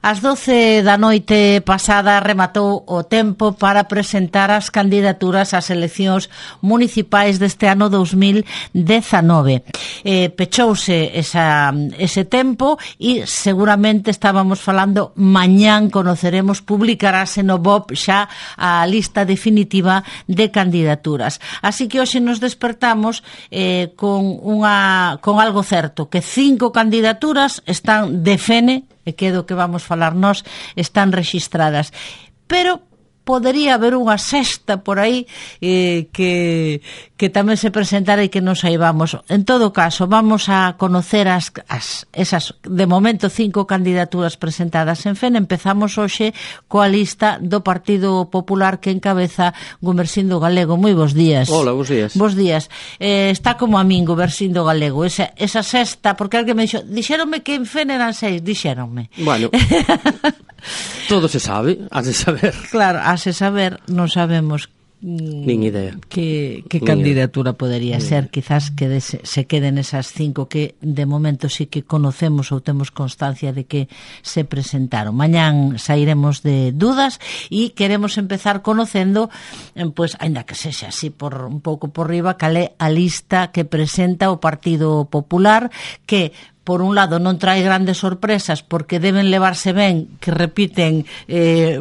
Ás 12 da noite pasada rematou o tempo para presentar as candidaturas ás eleccións municipais deste ano 2019. Pechouse ese tempo e seguramente estábamos falando mañán conoceremos, publicarase no BOP xa a lista definitiva de candidaturas. Así que hoxe nos despertamos con algo certo, que 5 candidaturas están de fene, e que é do que vamos falar nós, están rexistradas. Pero podería haber unha sexta por aí que tamén se presentara e que non saibamos. En todo caso, vamos a conocer esas, de momento, 5 candidaturas presentadas en FEN. Empezamos hoxe coa lista do Partido Popular que encabeza Gumersindo Galego. Moi bons días. Hola, bons días. Bos días. Está como a min, Gumersindo Galego. Esa sexta, porque alguén me dixéronme que en FEN eran 6, dixéronme. Bueno, todo se sabe, has de saber. Claro, has de saber, non sabemos nin idea que candidatura podería ser. Quizás se queden esas 5 que de momento sí que conocemos ou temos constancia de que se presentaron. Mañán sairemos de dudas e queremos empezar conocendo, pues, ainda que sexa así por un pouco por riba, cal é a lista que presenta o Partido Popular, que por un lado non trae grandes sorpresas porque deben levarse ben, que repiten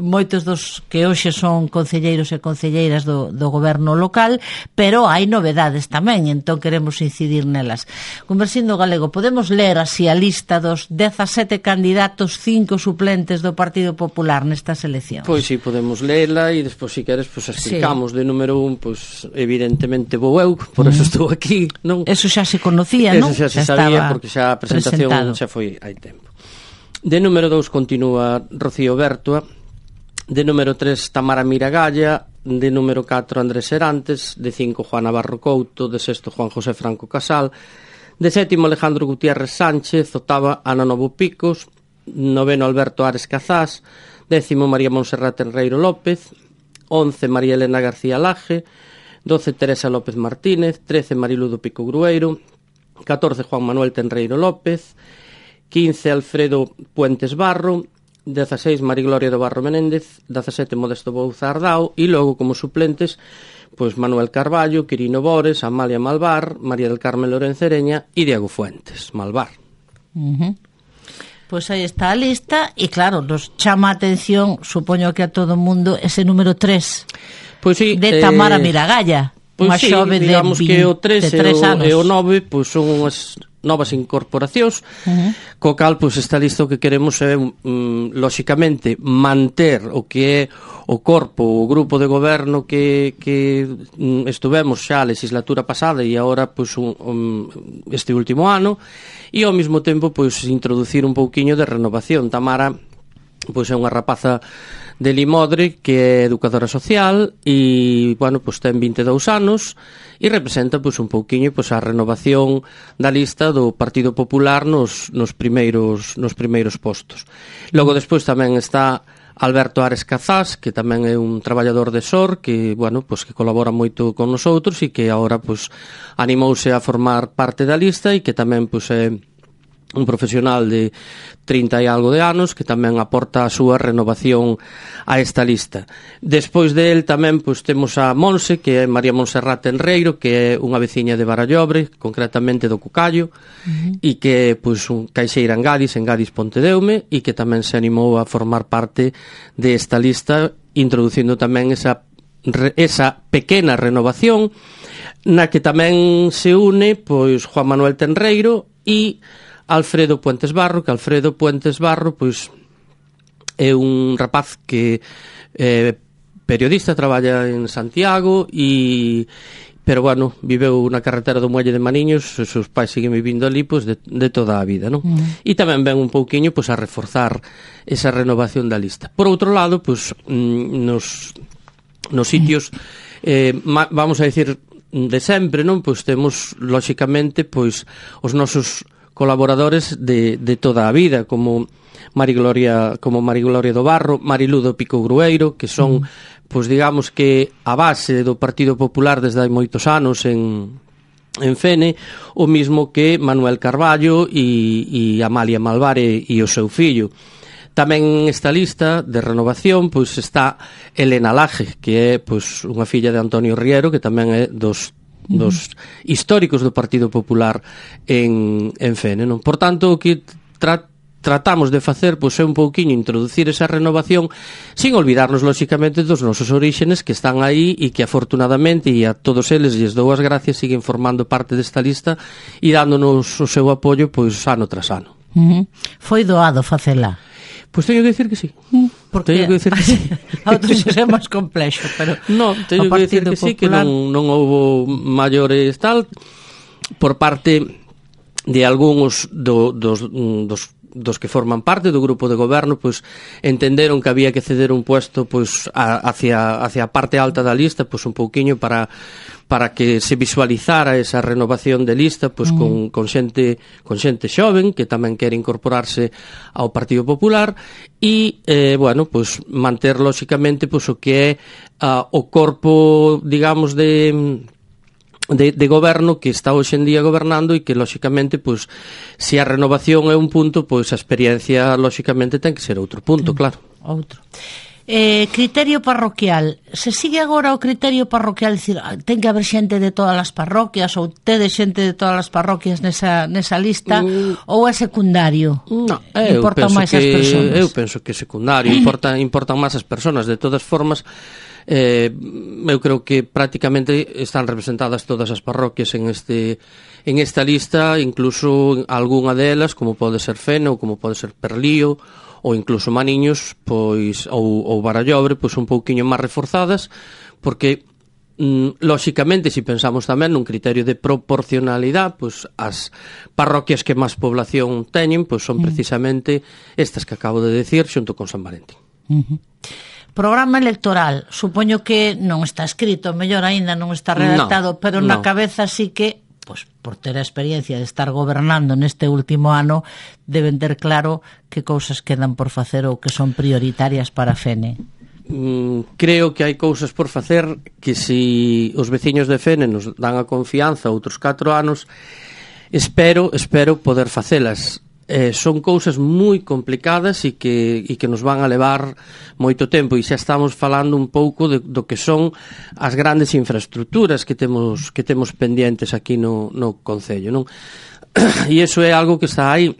moitos dos que hoxe son concelleiros e concelleiras do goberno local, pero hai novedades tamén, entón queremos incidir nelas. Gumersindo Galego, podemos ler así a lista dos 17 candidatos, 5 suplentes do Partido Popular nestas eleccións? Pois sí, podemos lela e despois, se queres, pues, explicamos. Sí. De número 1, pues, evidentemente vou eu, por eso estou aquí, non? Eso xa se conocía, non? Eso xa se sabía, porque xa a presentación xa foi hai tempo. De número 2 continúa Rocío Bertua, de número 3 Tamara Miragalla, de número 4 Andrés Serantes, de 5 Juan Navarro Couto, de 6 Juan José Franco Casal, de 7 Alejandro Gutiérrez Sánchez, 8 Ana Novo Picos, 9 Alberto Ares Cazás, 10 María Monserrat Enreiro López, 11 María Elena García Laje, 12 Teresa López Martínez, 13 Mariludo Pico Grueiro, 14 Juan Manuel Tenreiro López, 15 Alfredo Puentes Barro, 16 Marigloria do Barro Menéndez, 17 Modesto Bouza Ardao e logo como suplentes pois Manuel Carballo, Quirino Bores, Amalia Malvar, María del Carmen Lorencereña e Diego Fuentes Malvar. Pois aí está a lista e claro, nos chama a atención, supoño que a todo o mundo, ese número 3 pois sí, de Tamara Miragalla. Pois sí, digamos que o 3 e o 9 pois son unhas novas incorporacións, co cal pois esta lista o que queremos é lóxicamente manter o que é o corpo, o grupo de goberno que estuvemos xa a legislatura pasada e agora pois este último ano, e ao mesmo tempo pois introducir un pouquiño de renovación. Tamara pois é unha rapaza de Limodre que é educadora social e, bueno, pois ten 22 anos e representa pois un pouquiño pois a renovación da lista do Partido Popular nos primeiros postos. Logo despois tamén está Alberto Ares Cazás, que tamén é un traballador de SOR que, bueno, pois que colabora moito con nosotros e que agora pois animouse a formar parte da lista e que tamén pois é un profesional de 30 e algo de anos que tamén aporta a súa renovación a esta lista. Despois de él tamén pois temos a Monse, que é María Monserrat Enreiro, que é unha veciña de Barallobre, concretamente do Cucallo, e que pois un caixeira en Gadis Pontedeume, e que tamén se animou a formar parte desta lista, introducindo tamén esa pequena renovación na que tamén se une pois Juan Manuel Tenreiro e Alfredo Puentes Barro, que Alfredo Puentes Barro pois é un rapaz que é periodista, traballa en Santiago pero bueno, viveu na carretera do Muelle de Maniños, os seus pais siguen vivindo ali pois de toda a vida, non? E tamén ven un pouquiño pois a reforzar esa renovación da lista. Por outro lado, pois nos sitios vamos a dicir de sempre, non? Pois temos lóxicamente pois os nosos colaboradores de toda a vida, como Marigloria do Barro, Mariludo Pico Grueiro, que son, pois digamos que a base do Partido Popular desde hai moitos anos en Fene, o mismo que Manuel Carballo e Amalia Malvar e o seu fillo. Tamén esta lista de renovación pois está Elena Laje, que é pois unha filla de Antonio Riero, que tamén é dos históricos do Partido Popular en Fene, non? Por tanto, o que tratamos de facer pois é un pouquiño introducir esa renovación sin olvidarnos lóxicamente dos nosos oríxenes que están aí e que afortunadamente e a todos eles lles dou as gracias, siguen formando parte desta lista e dándonos o seu apoio pois ano tras ano. Foi doado facela? Pois teño que decir que sí. Porque teño que decir que sí. A outros é máis complexo, pero no, teño que decir que sí, que non houbo maiores tal por parte de algúns dos que forman parte do grupo de goberno, pois entenderon que había que ceder un puesto pois hacia a parte alta da lista, pois un pouquiño para que se visualizara esa renovación de lista pois con xente xoven que tamén quere incorporarse ao Partido Popular e bueno, pois manter lóxicamente pois o que é o corpo, digamos, de goberno que está hoxe en día gobernando e que lóxicamente pois se a renovación é un punto, pois a experiencia lóxicamente ten que ser outro punto, claro. Outro. Criterio parroquial. Se sigue agora o criterio parroquial, dicir, ten que haber xente de todas as parroquias ou tede xente de todas as parroquias nesa lista ou é secundario? Non, importan máis as persoas. Eu penso que é secundario, importan máis as persoas. De todas formas, eu creo que prácticamente están representadas todas as parroquias en esta lista, incluso algunha delas, como pode ser Fene ou como pode ser Perlío ou incluso Maniños, pois ou Barallobre, pois un pouquiño máis reforzadas, porque lóxicamente, se pensamos tamén nun criterio de proporcionalidade, pois as parroquias que máis población teñen, pois son precisamente estas que acabo de decir, xunto con San Valentín. Programa electoral, supoño que non está escrito, mellor aínda non está redactado, pero na cabeza sí que, pois, por ter a experiencia de estar gobernando neste último ano, deben ter claro que cousas quedan por facer ou que son prioritarias para Fene. Creo que hai cousas por facer que se os veciños de Fene nos dan a confianza outros 4 anos, espero poder facelas. Son cousas moi complicadas e que nos van a levar moito tempo, e xa estamos falando un pouco do que son as grandes infraestructuras que temos pendientes aquí no Concello, non? E iso é algo que está aí,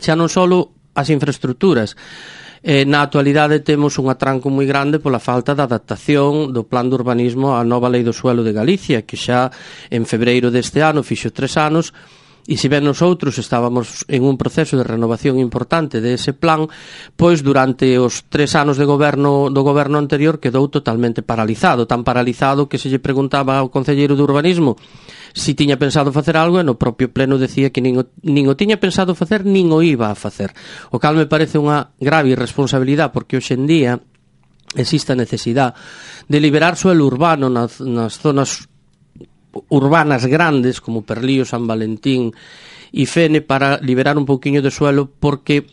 xa non só as infraestructuras. Na actualidade temos un atranco moi grande pola falta de adaptación do plan de urbanismo á nova Lei do Suelo de Galicia, que xa en febreiro deste ano fixo 3 anos. E se ben nosotros estábamos en un proceso de renovación importante dese plan, pois durante os 3 anos do goberno anterior quedou totalmente paralizado, tan paralizado que se lle preguntaba ao concelleiro de urbanismo se tiña pensado facer algo e no propio pleno decía que nin o tiña pensado facer nin o iba a facer, o cal me parece unha grave irresponsabilidade, porque hoxe en día existe a necesidade de liberar suelo urbano nas zonas urbanas grandes como Perlío, San Valentín e Fene, para liberar un pouquiño de suelo, porque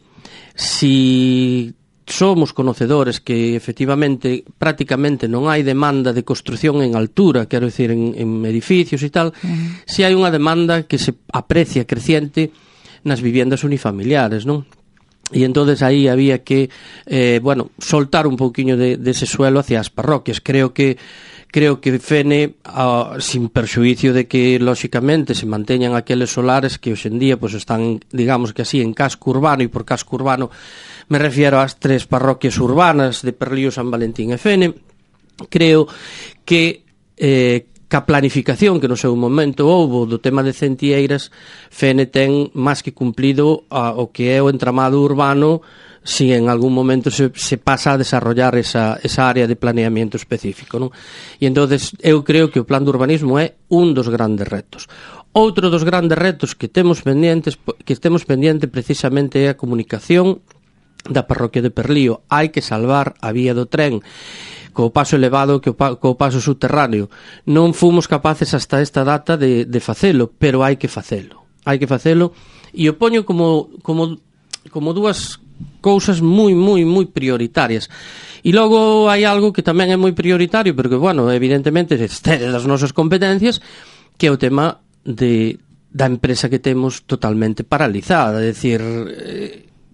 si somos conocedores que efectivamente prácticamente non hai demanda de construción en altura, quero dicir en edificios e tal, si hai unha demanda que se aprecia creciente nas viviendas unifamiliares, non? E entonces aí había que soltar un pouquiño dese suelo hacia as parroquias. Creo que Fene, sin perxuicio de que lóxicamente se manteñan aqueles solares que hoxe en día pois están, digamos que así, en casco urbano, e por casco urbano me refiero ás 3 parroquias urbanas de Perlío, San Valentín e Fene. Creo que ca planificación que no seu momento houbo do tema de Centieiras, Fene ten máis que cumplido o que é o entramado urbano, si en algún momento se pasa a desarrollar esa área de planeamiento específico, non? E entonces eu creo que o plan de urbanismo é un dos grandes retos. Outro dos grandes retos que temos pendiente precisamente é a comunicación da parroquia de Perlío. Hai que salvar a vía do tren co paso elevado, co paso subterráneo. Non fomos capaces hasta esta data de facelo, pero hai que facelo. E o poño como dúas cousas moi prioritarias. E logo hai algo que tamén é moi prioritario, porque, evidentemente excede das nosas competencias, que é o tema da empresa que temos totalmente paralizada. É dicir,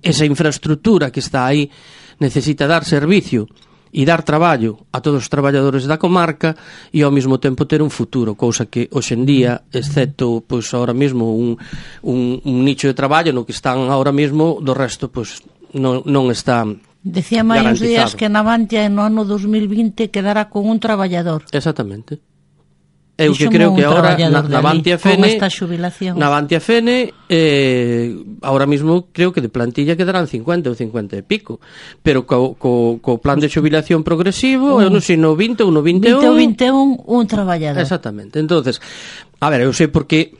esa infraestructura que está aí necesita dar servicio e dar traballo a todos os traballadores da comarca e ao mesmo tempo ter un futuro, cousa que hoxe en día, excepto pois ahora mesmo un nicho de traballo no que están ahora mesmo, do resto pois non está Decía mai uns días que Navantia no ano 2020 quedará con un traballador. Exactamente. Eu que creo que agora Navantia Fene ahora mismo creo que de plantilla quedarán 50 ou 50 e pico, pero co plan de xubilación progresivo eu non sei, no 20 ou no 21 un traballador. Exactamente. Entonces, a ver, eu sei porque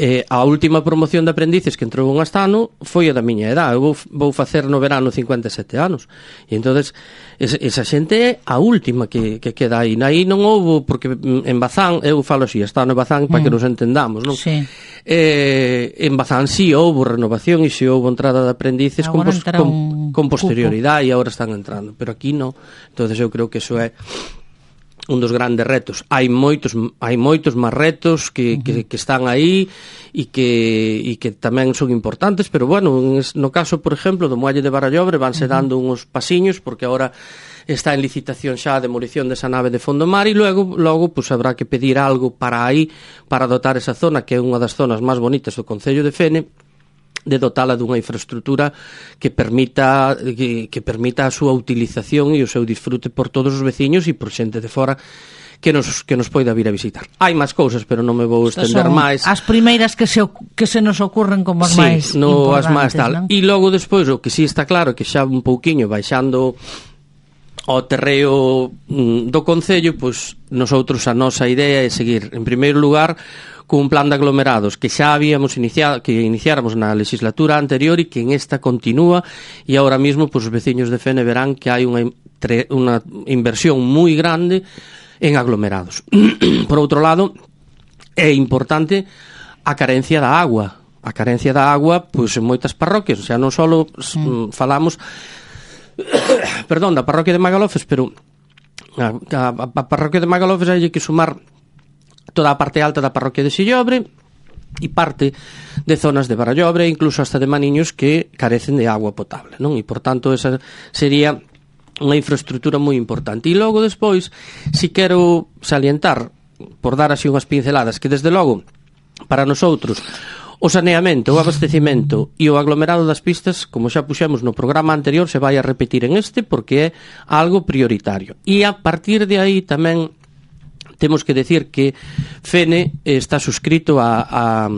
a última promoción de aprendices que entrou un astano foi a da miña edad. Eu vou facer no verano 57 anos. E entonces esa xente é a última que queda aí. Aí non houbo, porque en Bazán, eu falo así, astano e Bazán para que nos entendamos, non? Sí. En Bazán sí houbo renovación e sí houbo entrada de aprendices con posterioridade e agora están entrando, pero aquí non. Entonces eu creo que eso é un dos grandes retos. Hai moitos máis retos que están aí e que tamén son importantes, pero bueno, no caso, por exemplo, do Muelle de Barallobre vanse dando uns pasiños porque agora está en licitación xa a demolición desa nave de Fondomar e logo pues, habrá que pedir algo para aí, para dotar esa zona que é unha das zonas máis bonitas do Concello de Fene, de dotala dunha infraestructura que permita a súa utilización e o seu disfrute por todos os veciños e por xente de fora que nos poida vir a visitar. Hai máis cousas, pero non me vou estender máis. As primeiras que se nos ocurren como as máis importantes, as máis tal. E logo despois, o que sí está claro que xa un pouquiño baixando ao terreo do Concello, pois nosotros a nosa idea é seguir, en primeiro lugar, cun plan de aglomerados que xa habíamos iniciáramos na legislatura anterior e que en esta continúa e ahora mismo pues, os veciños de Fene verán que hai unha inversión moi grande en aglomerados. Por outro lado, é importante a carencia da agua. A carencia da agua pois, en moitas parroquias, o sea, non só falamos da parroquia de Magalofes, pero a parroquia de Magalofes hai que sumar toda a parte alta da parroquia de Sillobre e parte de zonas de Barallobre, incluso hasta de Maniños que carecen de agua potable, non? E, por tanto, esa sería unha infraestructura moi importante. E logo, despois, si quero salientar, por dar así unhas pinceladas, que, desde logo, para nosotros, o saneamento, o abastecimento e o aglomerado das pistas, como xa puxemos no programa anterior, se vai a repetir en este porque é algo prioritario. E a partir de aí tamén temos que decir que Fene está suscrito a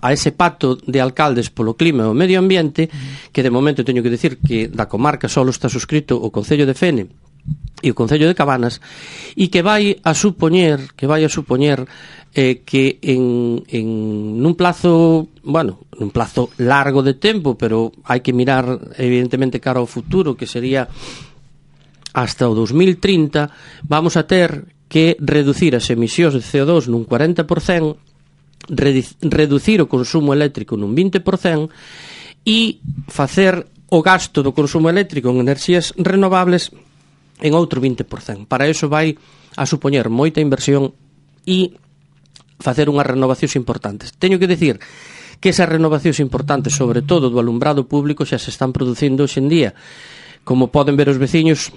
ese pacto de alcaldes polo clima e o medio ambiente, que de momento teño que decir que da comarca só está suscrito o Concello de Fene e o Concello de Cabanas, e que vai a supoñer que nun plazo largo de tempo, pero hai que mirar evidentemente cara ao futuro, que sería hasta o 2030, vamos a ter que reducir as emisións de CO2 nun 40%, reducir o consumo eléctrico nun 20% e facer o gasto do consumo eléctrico en enerxías renovables en outro 20%. Para iso vai a supoñer moita inversión e facer unhas renovacións importantes. Teño que decir que esas renovacións importantes, sobre todo do alumbrado público, xa se están producindo hoxe en día. Como poden ver os veciños,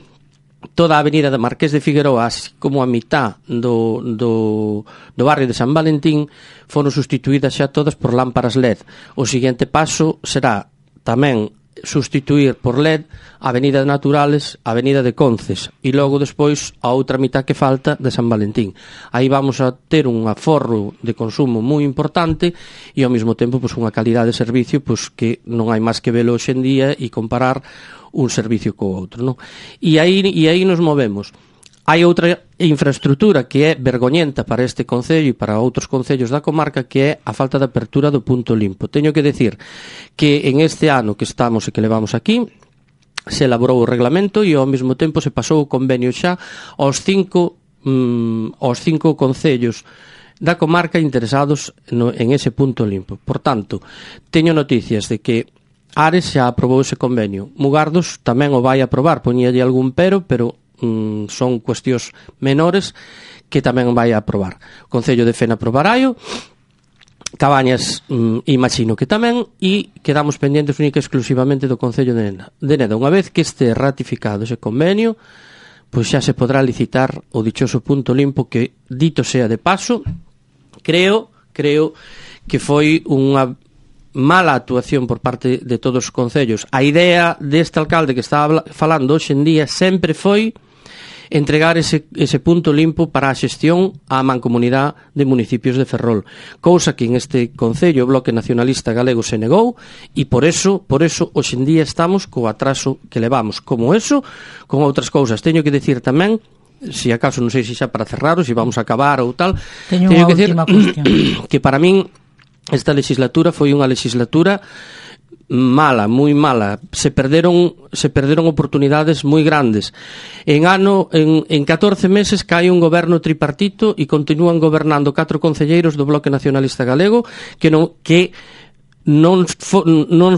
toda a avenida de Marqués de Figueroa, así como a mitad do barrio de San Valentín, foron sustituídas xa todas por lámparas LED. O seguinte paso será tamén sustituir por LED a Avenida de Naturales, a Avenida de Conces e logo despois a outra mitad que falta de San Valentín. Aí vamos a ter un aforro de consumo moi importante e ao mesmo tempo pois, unha calidade de servicio pois, que non hai máis que velo hoxe en día e comparar un servicio co outro, non? E aí nos movemos. Hai outra infraestructura que é vergoñenta para este concello e para outros concellos da comarca, que é a falta de apertura do punto limpo. Teño que decir que en este ano que estamos e que levamos aquí, se elaborou o reglamento e ao mesmo tempo se pasou o convenio xa aos cinco concellos da comarca interesados en ese punto limpo. Por tanto, teño noticias de que Ares xa aprobou ese convenio. Mugardos tamén o vai aprobar, poñíalle algún pero son cuestións menores que tamén vai aprobar. O Concello de Fene aprobaráio Cabañas imagino que tamén, e quedamos pendientes única exclusivamente do Concello de Neda. Unha vez que este ratificado ese convenio, pois xa se podrá licitar o dichoso punto limpo que, dito sea de paso, creo que foi unha mala actuación por parte de todos os concellos. A idea deste alcalde que estaba falando hoxe en día sempre foi entregar ese punto limpo para a xestión á mancomunidade de municipios de Ferrol, cousa que en este concello o Bloque Nacionalista Galego se negou, e por eso hoxe en día estamos co atraso que levamos. Como eso, con outras cousas. Teño que decir tamén, si acaso non sei se xa para cerrar ou se vamos a acabar ou tal, teño que decir que para min esta legislatura foi unha legislatura mala, moi mala. Se perderon oportunidades moi grandes. En 14 meses cae un goberno tripartito e continúan gobernando 4 concelleiros do Bloque Nacionalista Galego que non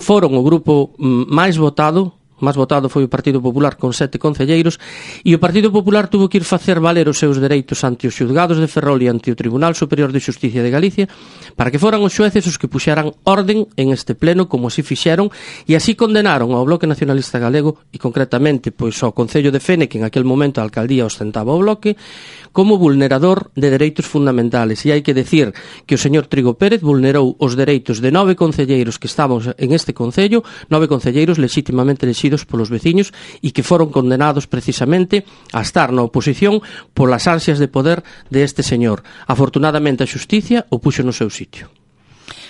foron o grupo máis votado foi o Partido Popular con 7 concelleiros, e o Partido Popular tuvo que ir facer valer os seus dereitos ante os xulgados de Ferrol e ante o Tribunal Superior de Xusticia de Galicia para que foran os xueces os que puxeran orden en este pleno, como así fixeron, e así condenaron ao Bloque Nacionalista Galego e concretamente pois ao Concello de Fene, que en aquel momento a alcaldía ostentaba o Bloque, como vulnerador de dereitos fundamentales. E hai que decir que o señor Trigo Pérez vulnerou os dereitos de 9 concelleiros que estaban en este concello, 9 concelleiros legítimamente elegidos polos veciños e que foron condenados precisamente a estar na oposición polas ansias de poder de este señor. Afortunadamente a xusticia o puxo no seu sitio.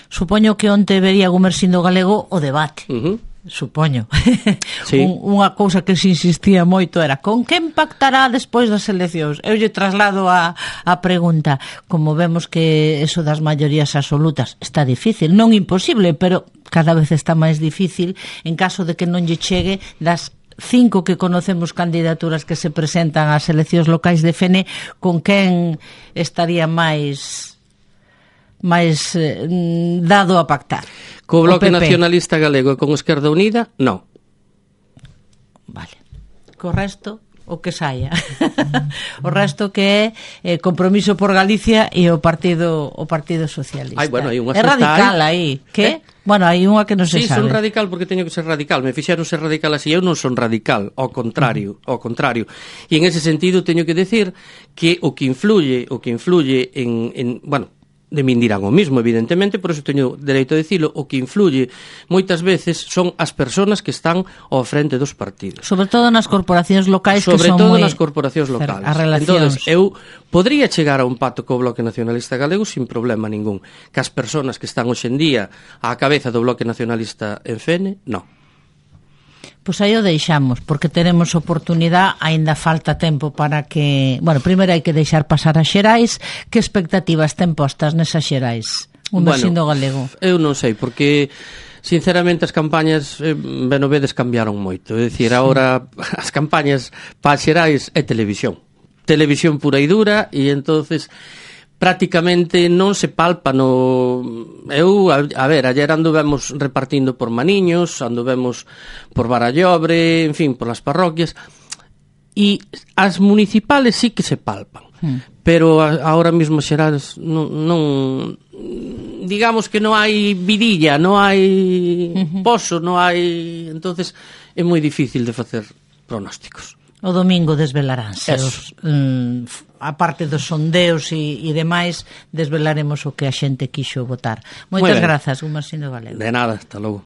Supoño que onte vería Gumersindo Galego o debate. Supoño. Sí. Unha cousa que se insistía moito era con que impactará despois das eleccións. Eu lle traslado a pregunta. Como vemos que eso das maiorías absolutas está difícil, non imposible, pero cada vez está máis difícil, en caso de que non lle chegue das 5 que conocemos candidaturas que se presentan ás eleccións locais de Fene, con quen estaría máis dado a pactar? Co Bloque Nacionalista Galego e con Esquerda Unida, non. Vale. Co resto, o que saia. O resto que é Compromiso por Galicia e o Partido Socialista. Bueno, hai unha é radical aí. Que? Bueno, hai unha que non se sabe. Sí, son radical porque teño que ser radical. Me fixeron ser radical así. Eu non son radical, ao contrario. E en ese sentido teño que decir que o que influye en bueno, de min dirán o mismo, evidentemente, por eso teño dereito a dicilo, o que influye moitas veces son as persoas que están ao frente dos partidos. Sobre todo nas corporacións locais, sobre todo nas corporacións locais. As relacións. Entonces, eu podría chegar a un pacto co Bloque Nacionalista Galego sin problema ningún. Que as persoas que están hoxe en día á cabeza do Bloque Nacionalista en Fene, non. Pois aí o deixamos, porque teremos oportunidade, aínda falta tempo para que... Bueno, primeiro hai que deixar pasar as xerais. Que expectativas ten postas nesas xerais? Gumersindo Galego. Eu non sei, porque sinceramente as campañas Benovedes cambiaron moito. É dicir, agora as campañas para as xerais é televisión pura e dura, e entonces prácticamente non se palpa no... Eu, a ver, ayer anduvemos repartindo por Maniños, anduvemos por Barallobre, en fin, por las parroquias, e as municipales sí que se palpan, pero ahora mismo xerais non digamos que non hai vidilla, non hai pozo, non hai... Entonces é moi difícil de facer pronósticos. O domingo desvelaránse a parte dos sondeos e demais, desvelaremos o que a xente quixo votar. Moitas grazas, Gumersindo Galego. De nada, hasta logo.